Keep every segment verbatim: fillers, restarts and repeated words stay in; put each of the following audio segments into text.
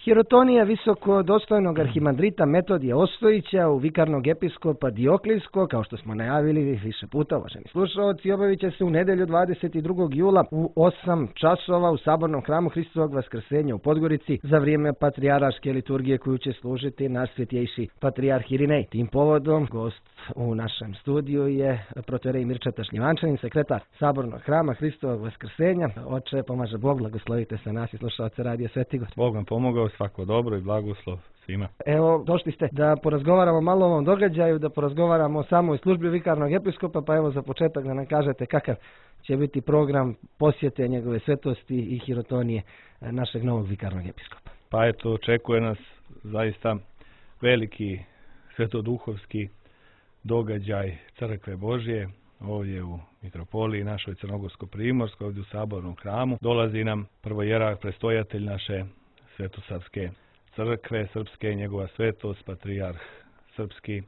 Hirotonija visoko dostojnog arhimandrita Metodija Ostojića u vikarnog episkopa Dioklijskog, kao što smo najavili više puta, uvaženi slušalci, obavit će se u nedjelju dvadeset drugog jula u osam časova u Sabornom hramu Hristovog Vaskrsenja u Podgorici za vrijeme patrijarške liturgije koju će služiti naš svjetjejši patrijarh Irinej. Tim povodom gost u našem studiju je protoijerej Mirčeta Šljivančanin, sekretar Sabornog hrama Hristovog Vaskrsenja. Oče, pomaže Bog, blagoslovite se nas i slušalce Radija Svetigor. Bog vam pomogao, svako dobro i blagoslov svima. Evo, došli ste da porazgovaramo malo o ovom događaju, da porazgovaramo o samoj službi vikarnog episkopa, pa evo za početak da nam kažete kakav će biti program posjete njegove svetosti i hirotonije našeg novog vikarnog episkopa. Pa eto, očekuje nas zaista veliki svetoduhovski događaj Crkve Božje ovdje u mitropoliji našoj Crnogorsko-primorskoj, ovdje u Sabornom hramu. Dolazi nam prvojerarh prestojatelj naše Svetosavske crkve srpske, njegova svetost, patrijarh srpski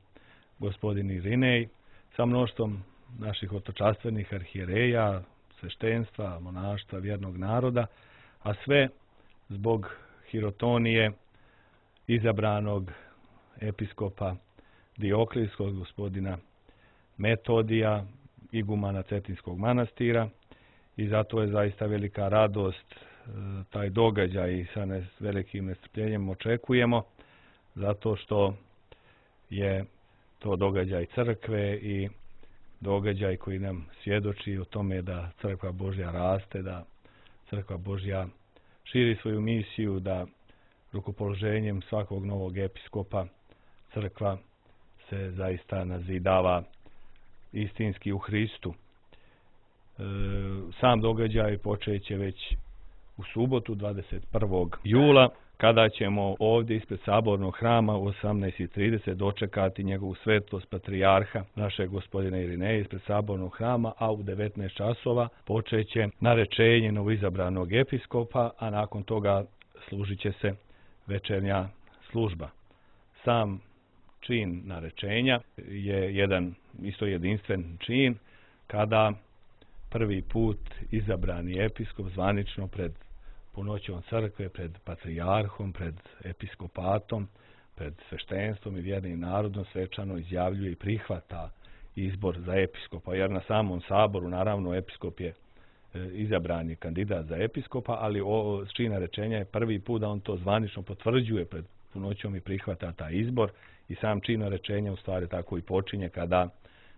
gospodin Irinej, sa mnoštvom naših otočastvenih arhijereja, sveštenstva, monaštva, vjernog naroda, a sve zbog hirotonije izabranog episkopa Dioklijskog, gospodina Metodija, igumana Cetinskog manastira, i zato je zaista velika radost taj događaj i sa ne, velikim nestrpljenjem očekujemo, zato što je to događaj crkve i događaj koji nam svjedoči o tome da Crkva Božja raste, da Crkva Božja širi svoju misiju, da rukopoloženjem svakog novog episkopa Crkva se zaista nazidava istinski u Hristu. E, sam događaj počeće već u subotu dvadeset prvog jula, kada ćemo ovdje ispred Sabornog hrama u osamnaest i trideset dočekati njegovu svetost patrijarha, našeg gospodina Irineja ispred Sabornog hrama, a u devetnaest časova počeće narečenje novoizabranog episkopa, a nakon toga služit će se večernja služba. Sam čin narečenja je jedan isto jedinstven čin kada prvi put izabrani episkop zvanično pred punoćom crkve, pred patrijarhom, pred episkopatom, pred sveštenstvom i vjernim narodom svečano izjavljuje i prihvata izbor za episkopa, jer na samom saboru naravno episkop je izabrani kandidat za episkopa, ali o čin narečenja je prvi put da on to zvanično potvrđuje pred punoćom i prihvata taj izbor, i sam čin narečenja u stvari tako i počinje kada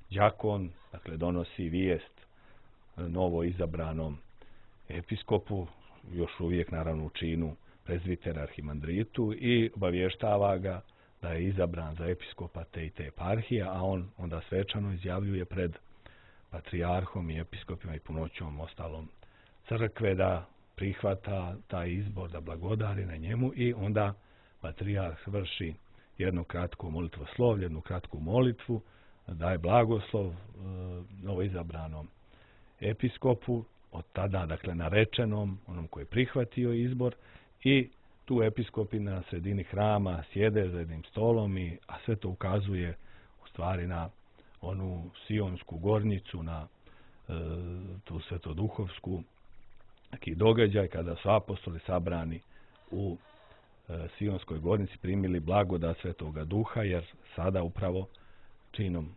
đakon, dakle, donosi vijest novo izabranom episkopu, još uvijek naravno u činu prezbitera arhimandritu, i obavještava ga da je izabran za episkopa te i te eparhije, a on onda svečano izjavljuje pred patrijarhom i episkopima i punoćom ostalom crkve da prihvata taj izbor, da blagodari na njemu, i onda patrijarh vrši jednu kratku molitvoslovlje, jednu kratku molitvu, daje blagoslov e, novoizabranom episkopu, od tada, dakle, narečenom, onom koji je prihvatio izbor, i tu episkopi na sredini hrama sjede za jednim stolom, i, a sve to ukazuje u stvari na onu Sionsku gornjicu, na e, tu svetoduhovsku neki događaj kada su apostoli sabrani u e, Sionskoj gornjici primili blagodat Svetoga Duha, jer sada upravo činom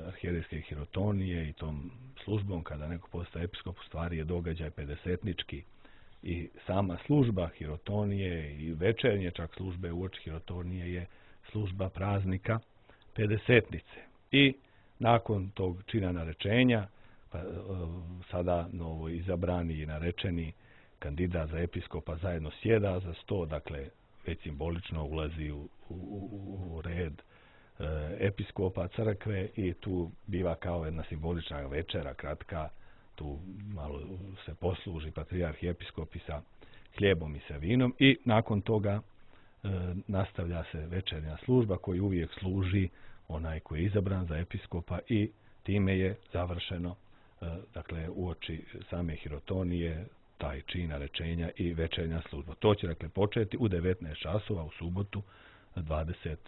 arhijerejske hirotonije i tom službom kada neko postaje episkop u stvari je događaj pedesetnički, i sama služba hirotonije i večernje čak službe uoči hirotonije je služba praznika pedesetnice. I nakon tog čina narečenja pa, sada novo izabrani i narečeni kandidat za episkopa zajedno sjeda za sto, dakle već simbolično ulazi u, u, u red episkopa crkve, i tu biva kao jedna simbolična večera kratka, tu malo se posluži patrijarh i episkopi sa hljebom i sa vinom, i nakon toga e, nastavlja se večernja služba koju uvijek služi onaj koji je izabran za episkopa, i time je završeno e, dakle uoči same hirotonije taj čin narečenja i večernja služba. To će, dakle, početi u devetnaest časova u subotu dvadeset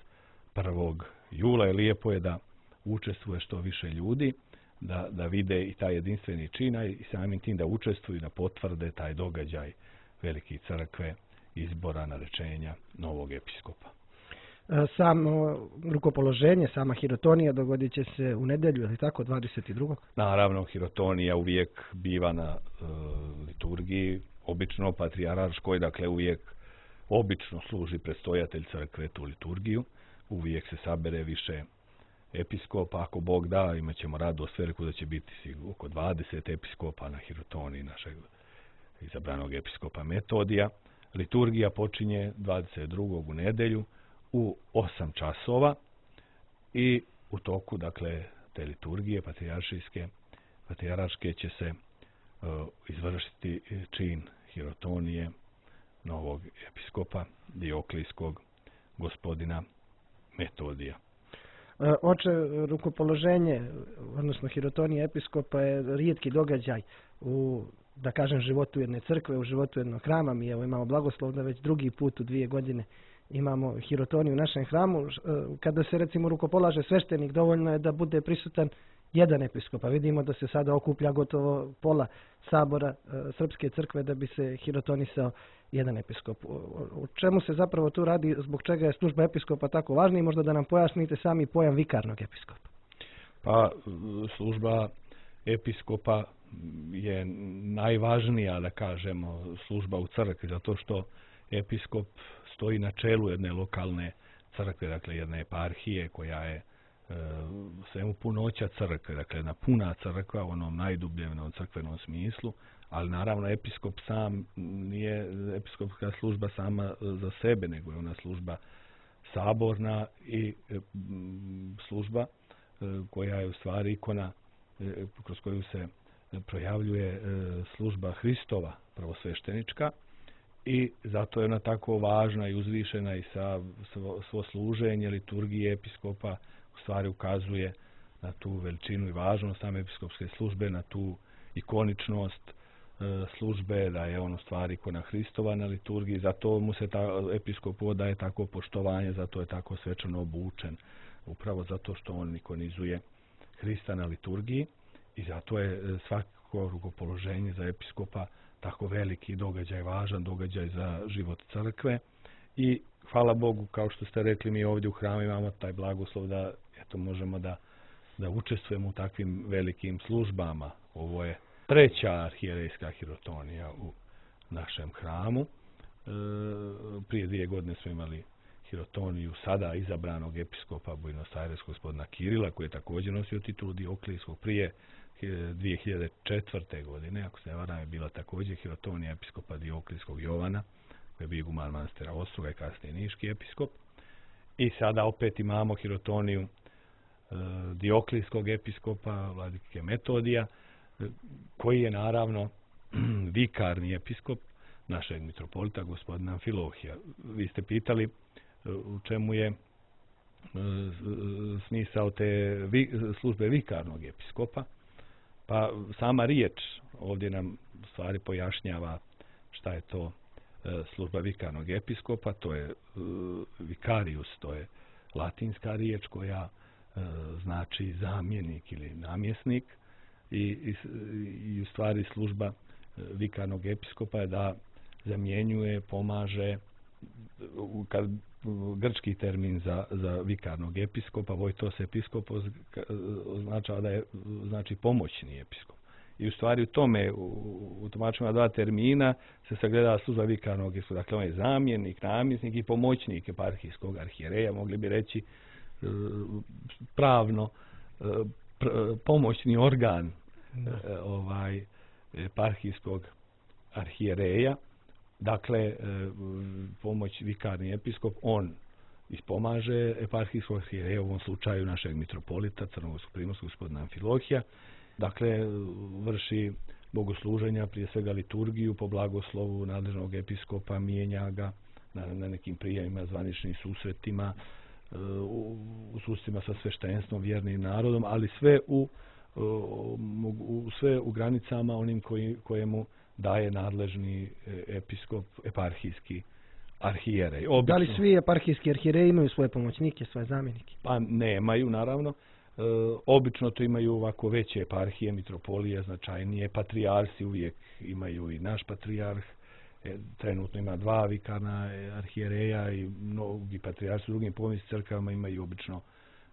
prvog jula, i lijepo je da učestvuje što više ljudi, da, da vide i taj jedinstveni čin, i samim tim da učestvuju, da potvrde taj događaj veliki crkve izbora, narečenja novog episkopa. Samo rukopoloženje, sama hirotonija dogodit će se u nedjelju, ili tako, dvadeset drugog Naravno, hirotonija uvijek biva na e, liturgiji, obično patrijarškoj, dakle uvijek obično služi predstojatelj crkve tu liturgiju, uvijek se sabere više episkopa, ako Bog da, imat ćemo radost veliku da će biti oko dvadeset episkopa na hirotoniji našeg izabranog episkopa Metodija. Liturgija počinje dvadeset drugog u nedjelju u osam časova i u toku, dakle, te liturgije patrijaršijske, patrijarške će se uh, izvršiti čin hirotonije novog episkopa Dioklijskog gospodina Metodija. Oče, rukopoloženje, odnosno hirotonija episkopa je rijetki događaj u, da kažem, životu jedne crkve, u životu jednog hrama. Mi evo imamo blagoslov da već drugi put u dvije godine imamo hirotoniju u našem hramu. Kada se recimo rukopolaže sveštenik, dovoljno je da bude prisutan jedan episkop. A vidimo da se sada okuplja gotovo pola sabora Srpske crkve da bi se hirotonisao jedan episkop. O čemu se zapravo tu radi, zbog čega je služba episkopa tako važna i možda da nam pojasnite sami pojam vikarnog episkopa? Pa služba episkopa je najvažnija, da kažemo, služba u crkvi, zato što episkop stoji na čelu jedne lokalne crkve, dakle jedne eparhije koja je e, svemu punoća crkve, dakle jedna puna crkva u onom najdubljem crkvenom smislu, ali naravno episkop sam nije episkopska služba sama za sebe, nego je ona služba saborna i e, služba e, koja je u stvari ikona e, kroz koju se projavljuje e, služba Hristova prvosveštenička. I zato je ona tako važna i uzvišena i sa svo, svo služenje liturgije episkopa u stvari ukazuje na tu veličinu i važnost same episkopske službe, na tu ikoničnost e, službe, da je on u stvari ikona Hristova na liturgiji, zato mu se ta episkop odaje tako poštovanje, zato je tako svečano obučen, upravo zato što on ikonizuje Hrista na liturgiji i zato je svako rukopoloženje za episkopa tako veliki događaj, važan događaj za život crkve i hvala Bogu, kao što ste rekli, mi ovdje u hramu imamo taj blagoslov da eto možemo da, da učestvujemo u takvim velikim službama. Ovo je treća arhijerejska hirotonija u našem hramu. E, prije dvije godine smo imali hirotoniju sada izabranog episkopa Buenos Aires gospodina Kirila, koji je također nosio titulu Dioklijskog. Prije dvije hiljade četvrte. godine, ako se ne varam, je bila također hirotonija episkopa Dioklijskog Jovana, koji je bio iguman manastira Ostroga i kasnije niški episkop. I sada opet imamo hirotoniju e, Dioklijskog episkopa, vladike Metodija, e, koji je naravno vikarni episkop našeg mitropolita gospodina Amfilohija. Vi ste pitali e, u čemu je e, smisao te vi, službe vikarnog episkopa. Pa sama riječ ovdje nam u stvari pojašnjava šta je to e, služba vikarnog episkopa, to je e, vicarius, to je latinska riječ koja e, znači zamjenik ili namjesnik i, i, i u stvari služba e, vikarnog episkopa je da zamjenjuje, pomaže, kad grčki termin za, za vikarnog episkopa, vojtos episkop označava da je znači pomoćni episkop. I u stvari u tome, u, u tumačima dva termina se sagleda služba vikarnog episkopa. Dakle, on je zamjenik, namjesnik i pomoćnik eparhijskog arhijereja, mogli bi reći pravno pr, pomoćni organ da. ovaj eparhijskog arhijereja. Dakle, pomoć vikarni episkop, on ispomaže eparhijskog arhijereja, u ovom slučaju našeg mitropolita crnogorskog primorskog gospodina Amfilohija. Dakle, vrši bogosluženja, prije svega liturgiju po blagoslovu nadležnog episkopa, mijenja ga na, na nekim prijemima, zvaničnim susretima, u, u susretima sa sveštenstvom, vjernim narodom, ali sve u, u, sve u granicama onim koji, kojemu daje nadležni episkop, eparhijski arhijerej. Obično, da li svi eparhijski arhijereji imaju svoje pomoćnike, svoje zamjenike? Pa nemaju, naravno. E, obično to imaju ovako veće eparhije, mitropolije, značajnije. Patrijarsi uvijek imaju i naš patrijarh, trenutno ima dva vikarna arhijereja i mnogi patrijarsi u drugim povijesnim crkvama imaju obično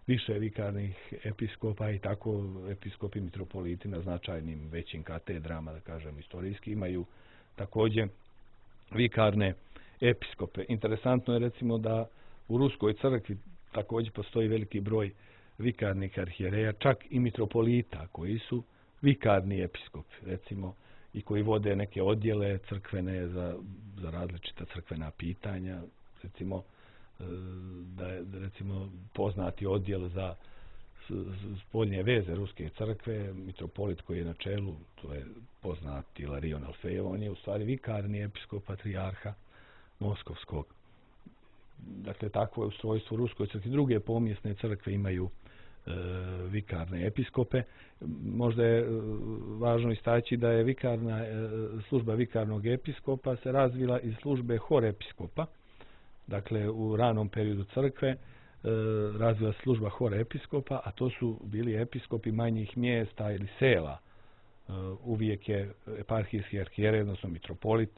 više vikarnih episkopa i tako episkopi mitropoliti na značajnim većim katedrama, da kažem istorijski, imaju također vikarne episkope. Interesantno je recimo da u Ruskoj crkvi također postoji veliki broj vikarnih arhijereja, čak i mitropolita koji su vikarni episkopi, recimo, i koji vode neke odjele crkvene za, za različita crkvena pitanja, recimo da je recimo poznati odjel za spoljne veze Ruske crkve, mitropolit koji je na čelu, to je poznati Ilarion Alfejev, on je u stvari vikarni episkop patrijarha Moskovskog. Dakle, takvo je ustrojstvo Ruskoj crkvi. Druge pomjesne crkve imaju e, vikarne episkope. Možda je e, važno istaći da je vikarna, e, služba vikarnog episkopa se razvila iz službe horepiskopa. Dakle, u ranom periodu crkve e, razvila se služba horepiskopa, a to su bili episkopi manjih mjesta ili sela. E, uvijek je eparhijski arhijerej, odnosno mitropolit,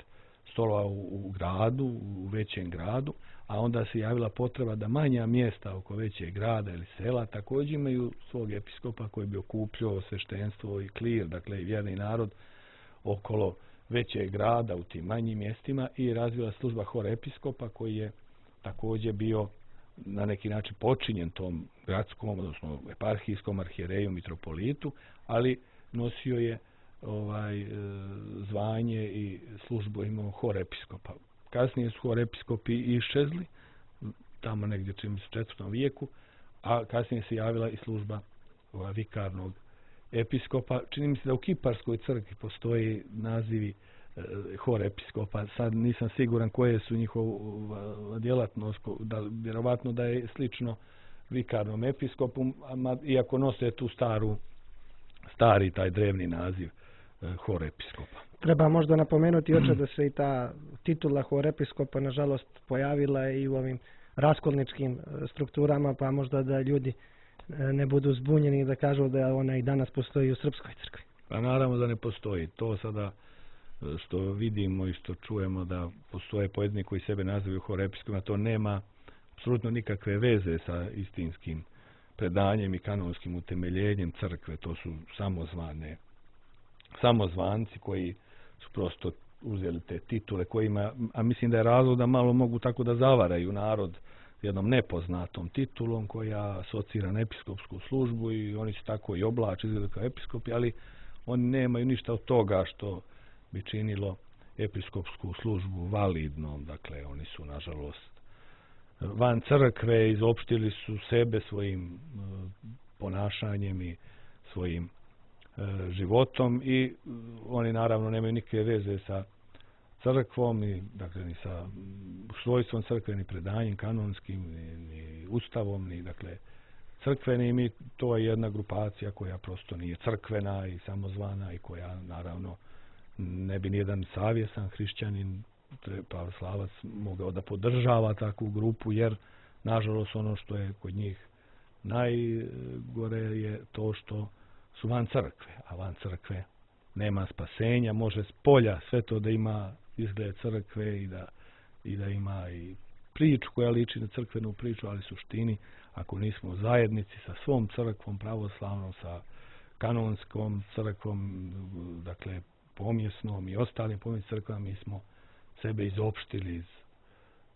stolovao u, u gradu, u većem gradu, a onda se javila potreba da manja mjesta oko većeg grada ili sela također imaju svog episkopa koji bi okupljao sveštenstvo i klir, dakle i vjerni narod okolo većeg grada u tim manjim mjestima, i razvila služba horepiskopa koji je također bio na neki način počinjen tom gradskom, odnosno eparhijskom arhijereju mitropolitu, ali nosio je ovaj zvanje i službu imao horepiskopa. Kasnije su horepiskopi iščezli, tamo negdje čini se u četvrtom vijeku, a kasnije se javila i služba ovaj, vikarnog episkopa. Čini mi se da u Kiparskoj crkvi postoji nazivi e, horepiskopa. Sad nisam siguran koje su njihova djelatnost, da, vjerovatno da je slično vikarnom episkopu, a, iako nose tu staru, stari taj drevni naziv e, horepiskopa. Treba možda napomenuti oče da se i ta titula horepiskopa nažalost pojavila i u ovim raskolničkim strukturama, pa možda da ljudi ne budu zbunjeni da kažu da ona i danas postoji u Srpskoj crkvi. Pa naravno da ne postoji. To sada što vidimo i što čujemo da postoje pojedini koji sebe nazivaju horepiskopima, to nema apsolutno nikakve veze sa istinskim predanjem i kanonskim utemeljenjem crkve. To su samozvane, samozvanci koji su prosto uzeli te titule kojima, a mislim da je razlog da malo mogu tako da zavaraju narod jednom nepoznatom titulom koja asocira na episkopsku službu i oni se tako i oblače, izgledaju kao episkopi, ali oni nemaju ništa od toga što bi činilo episkopsku službu validnom. Dakle, oni su nažalost van crkve, izopštili su sebe svojim ponašanjem i svojim životom i oni naravno nemaju nikakve veze sa crkvom, ni, dakle, ni sa svojstvom crkve, ni predanjem kanonskim, ni, ni ustavom, ni dakle crkvenim, i to je jedna grupacija koja prosto nije crkvena i samozvana i koja naravno ne bi nijedan savjesan hrišćanin, pravoslavac, mogao da podržava takvu grupu, jer nažalost ono što je kod njih najgore je to što su van crkve, a van crkve nema spasenja, može s polja sve to da ima izgled crkve i da, i da ima i priču koja liči na crkvenu priču, ali suštini, ako nismo u zajednici sa svom crkvom pravoslavnom, sa kanonskom crkvom, dakle pomjesnom i ostalim pomjesnim crkvama, mi smo sebe izopštili iz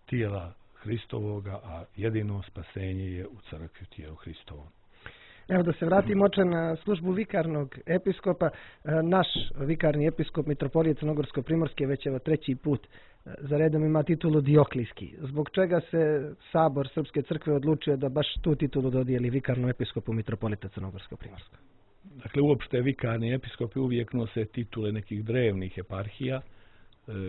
tijela Hristovoga, a jedino spasenje je u crkvi, tijelu Hristovom. Evo da se vratimo oče na službu vikarnog episkopa. Naš vikarni episkop mitropolije Crnogorsko-primorske već evo treći put za redom ima titulu Dioklijski. Zbog čega se Sabor Srpske crkve odlučio da baš tu titulu dodijeli vikarnom episkopu mitropolita Crnogorsko-primorskog? Dakle, uopšte vikarni episkopi uvijek nose titule nekih drevnih eparhija,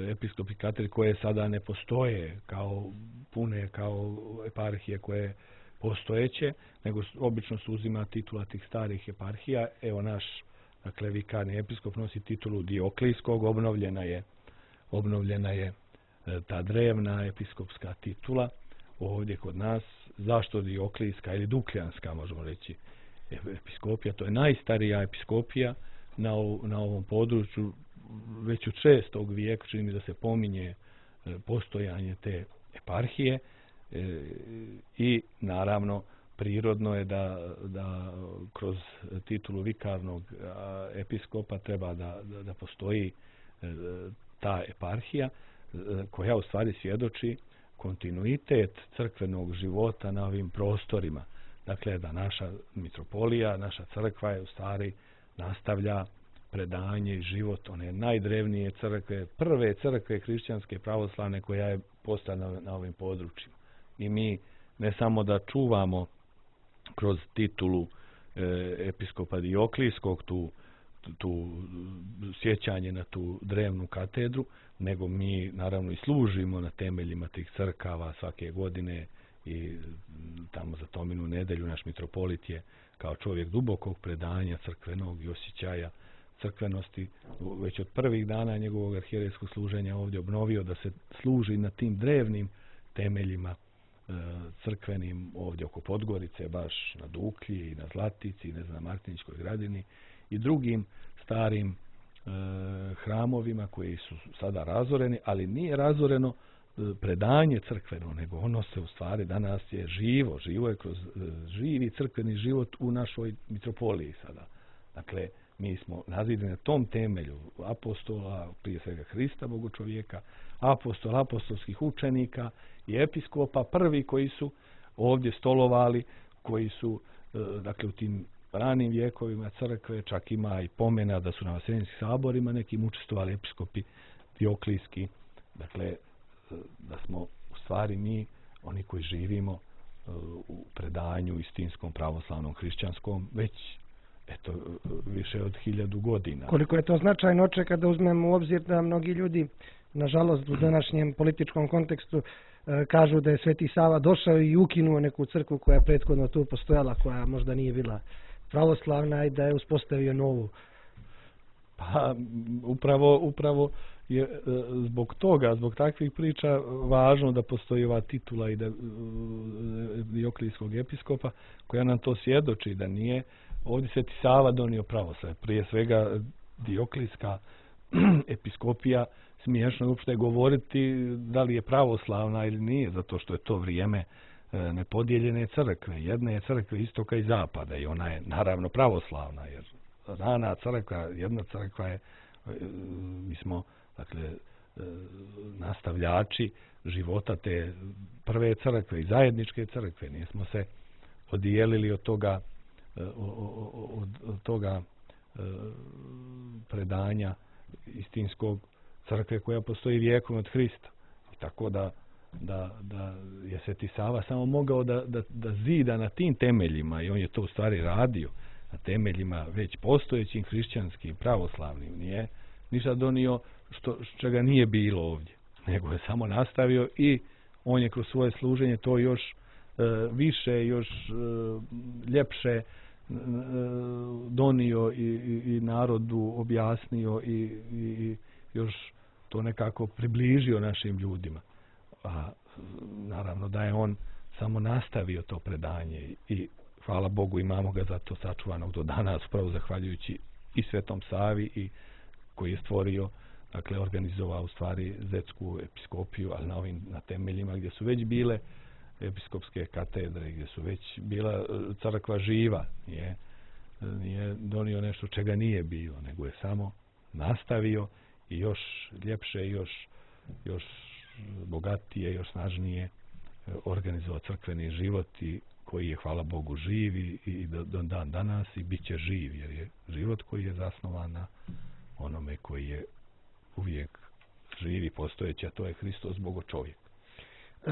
episkopi katedri koje sada ne postoje kao pune, kao eparhije koje postojeće, nego obično se uzima titula tih starih eparhija. Evo naš, dakle, vikarni episkop nosi titulu Dioklijskog, obnovljena je, obnovljena je ta drevna episkopska titula ovdje kod nas. Zašto Dioklijska ili Dukljanska, možemo reći, episkopija? To je najstarija episkopija na, na ovom području. već od šestog vijeka čini mi da se pominje postojanje te eparhije i naravno prirodno je da, da kroz titulu vikarnog episkopa treba da, da, da postoji ta eparhija koja u stvari svjedoči kontinuitet crkvenog života na ovim prostorima. Dakle, da naša mitropolija, naša crkva je u stvari nastavlja predanje i život one najdrevnije crkve, prve crkve hrišćanske pravoslavne koja je postala na ovim područjima. I mi ne samo da čuvamo kroz titulu e, episkopa Dioklijskog tu, tu sjećanje na tu drevnu katedru, nego mi naravno i služimo na temeljima tih crkava svake godine i tamo za Tominu nedelju naš mitropolit je kao čovjek dubokog predanja crkvenog i osjećaja crkvenosti već od prvih dana njegovog arhijerejskog služenja ovdje obnovio da se služi na tim drevnim temeljima e, crkvenim ovdje oko Podgorice, baš na Duklji i na Zlatici, ne znam, na Martiničkoj gradini i drugim starim e, hramovima koji su sada razoreni, ali nije razoreno e, predanje crkveno, nego ono se u stvari danas je živo, živo je kroz e, živi crkveni život u našoj mitropoliji sada. Dakle, mi smo nazidani na tom temelju apostola, prije svega Hrista, Bogu čovjeka, apostola, apostolskih učenika i episkopa, prvi koji su ovdje stolovali, koji su, dakle, u tim ranim vjekovima crkve, čak ima i pomena da su na vaseljenskim saborima nekim učestvovali episkopi Dioklijski. Dakle, da smo u stvari mi, oni koji živimo u predanju istinskom pravoslavnom hrišćanskom, već eto, više od hiljadu godina. Koliko je to značajno oče kada uzmemo u obzir da mnogi ljudi, nažalost, u današnjem političkom kontekstu e, kažu da je Sveti Sava došao i ukinuo neku crkvu koja je prethodno tu postojala, koja možda nije bila pravoslavna i da je uspostavio novu. Pa, upravo, upravo je e, zbog toga, zbog takvih priča važno da postoji ova titula i da e, Dioklijskog episkopa koja nam to svjedoči da nije ovdje Sveti Sava donio pravoslavlje. Prije svega Dioklijska episkopija, smiješno uopšte govoriti da li je pravoslavna ili nije, zato što je to vrijeme e, nepodijeljene crkve. Jedna je crkva istoka i zapada i ona je naravno pravoslavna, jer rana crkva, jedna crkva je, e, mi smo, dakle, e, nastavljači života te prve crkve i zajedničke crkve. Nismo se odijelili od toga od, od toga e, predanja istinskog crkve koja postoji vijekom od Hrista. Tako da, da, da je Sveti Sava samo mogao da, da, da zida na tim temeljima i on je to u stvari radio na temeljima već postojećim hrišćanskim, pravoslavnim. Nije ništa donio što, čega nije bilo ovdje, nego je samo nastavio i on je kroz svoje služenje to još e, više, još e, ljepše donio i, i, i narodu objasnio i, i, i još to nekako približio našim ljudima. A naravno da je on samo nastavio to predanje i hvala Bogu imamo ga zato sačuvanog do danas, upravo zahvaljujući i Svetom Savi i koji je stvorio, dakle organizovao u stvari zetsku episkopiju, ali na ovim na temeljima gdje su već bile episkopske katedre, gdje su već bila crkva živa, nije, nije donio nešto čega nije bilo, nego je samo nastavio i još ljepše, još, još bogatije, još snažnije organizovao crkveni život i koji je, hvala Bogu, živ i, i do, do dan danas i bit će živ, jer je život koji je zasnovan na onome koji je uvijek živ i postojeći, a to je Hristos, Bogo čovjek.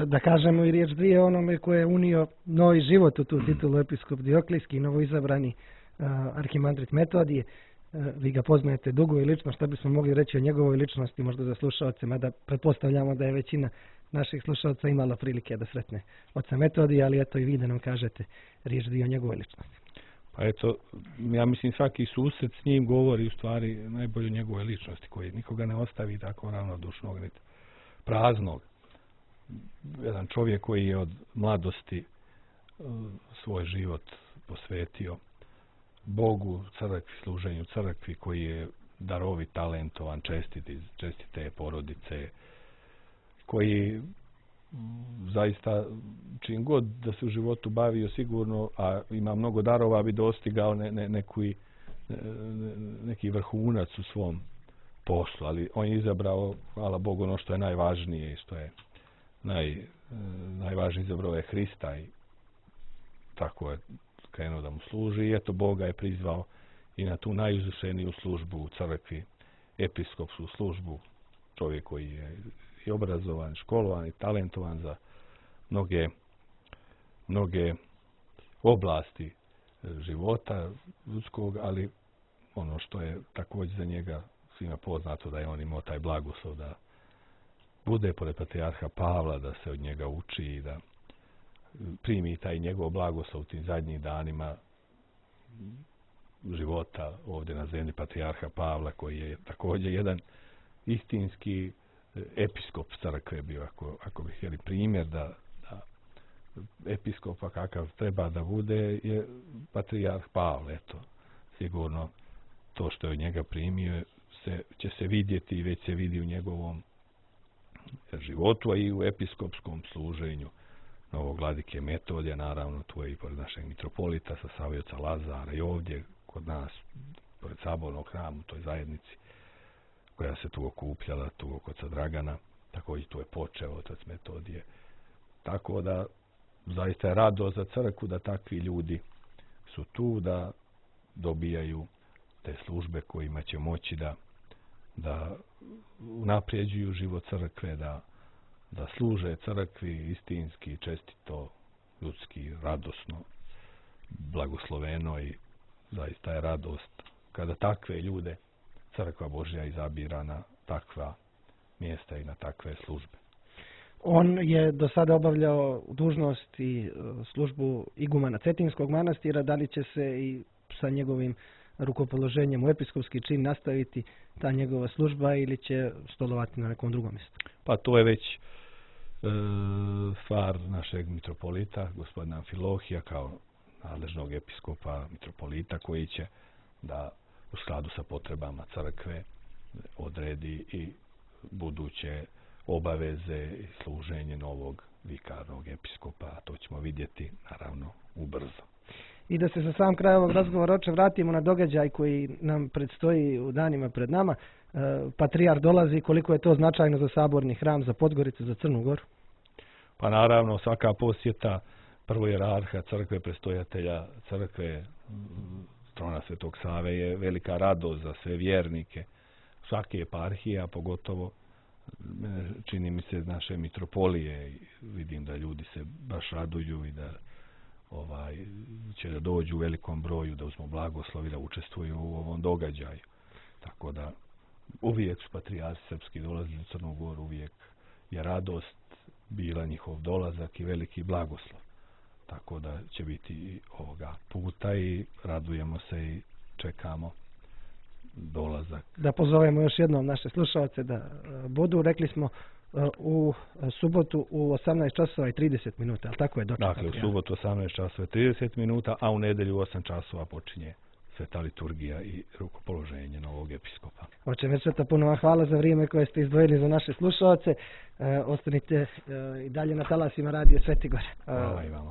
Da kažemo i riječ dvije onome koje je unio novi život u tu titulu episkop Dioklijski, novoizabrani uh, arhimandrit Metodije. Uh, vi ga poznajete dugo i lično, šta bismo mogli reći o njegovoj ličnosti, možda za slušalce, mada pretpostavljamo da je većina naših slušalca imala prilike da sretne oca Metodija, ali eto i vi da nam kažete riječ dvije o njegovoj ličnosti. Pa eto, ja mislim svaki susret s njim govori u stvari najbolje o njegove ličnosti, koji nikoga ne ostavi tako ravnodušnog, niti praznog. Jedan čovjek koji je od mladosti svoj život posvetio Bogu, crkvi, služenju crkvi, koji je darovit, talentovan, čestiti, čestite porodice, koji zaista čim god da se u životu bavio sigurno, a ima mnogo darova, bi dostigao ne, ne, neki, ne, neki vrhunac u svom poslu, ali on je izabrao, hvala Bogu, ono što je najvažnije i što je naj, najvažnije, izabrao je Hrista i tako je krenuo da mu služi i eto Boga je prizvao i na tu najuzvišeniju službu u crkvi, episkopsku službu, čovjek koji je i obrazovan, školovan i talentovan za mnoge, mnoge oblasti života ljudskog, ali ono što je također za njega svima poznato da je on imao taj blagoslov da bude pored patrijarha Pavla, da se od njega uči i da primi taj njegov blagoslov u tim zadnjih danima života ovdje na zemlji patrijarha Pavla, koji je također jedan istinski episkop crkve bio, ako, ako bi htjeli primjer da, da episkopa kakav treba da bude je patrijarh Pavle. Eto, sigurno to što je od njega primio se, će se vidjeti i već se vidi u njegovom životu, a i u episkopskom služenju novog vladike Metodija, naravno tu je i pored našeg mitropolita sa Savioca Lazara i ovdje kod nas, pored sabornog hrama, u toj zajednici koja se tu okupljala, tu oko oca Dragana, također tu je počeo otac Metodije. Tako da zaista je radost za crkvu da takvi ljudi su tu, da dobijaju te službe kojima će moći da, da unaprijeđuju život crkve, da, da služe crkvi istinski, čestito, ljudski, radosno, blagosloveno i zaista je radost kada takve ljude Crkva Božja izabira na takva mjesta i na takve službe. On je do sada obavljao dužnost i službu igumana Cetinskog manastira. Da li će se i sa njegovim rukopoloženjem u episkopski čin nastaviti ta njegova služba ili će stolovati na nekom drugom mjestu? Pa to je već e, stvar našeg mitropolita, gospodina Amfilohija, kao nadležnog episkopa mitropolita, koji će da u skladu sa potrebama crkve odredi i buduće obaveze i služenje novog vikarnog episkopa, a to ćemo vidjeti naravno ubrzo. I da se za sam kraj ovog razgovora oče vratimo na događaj koji nam predstoji u danima pred nama. E, Patrijar dolazi, koliko je to značajno za saborni hram, za Podgoricu, za Crnu Goru? Pa naravno svaka posjeta prvojerarha crkve, prestojatelja crkve, trona Svetog Save je velika radost za sve vjernike svake eparhije, a pogotovo čini mi se naše mitropolije. Vidim da ljudi se baš raduju i da ovaj, će da dođu u velikom broju, da uzmu blagoslovi, da učestvuju u ovom događaju. Tako da uvijek su patrijarsi srpski dolazili u Crnu Goru, uvijek je radost bila njihov dolazak i veliki blagoslov. Tako da će biti ovoga puta i radujemo se i čekamo dolazak. Da pozovemo još jednom naše slušalce da budu, rekli smo u subotu u osamnaest časova i trideset minuta, ali tako je doček? Dakle, u subotu osamnaest časova i trideset minuta, a u nedelju osam časova počinje sveta liturgija i rukopoloženje novog episkopa. Oče Mečeta, puno vam hvala za vrijeme koje ste izdvojili za naše slušalce. E, ostanite e, i dalje na talasima Radio Sveti Gore. Hvala i vama.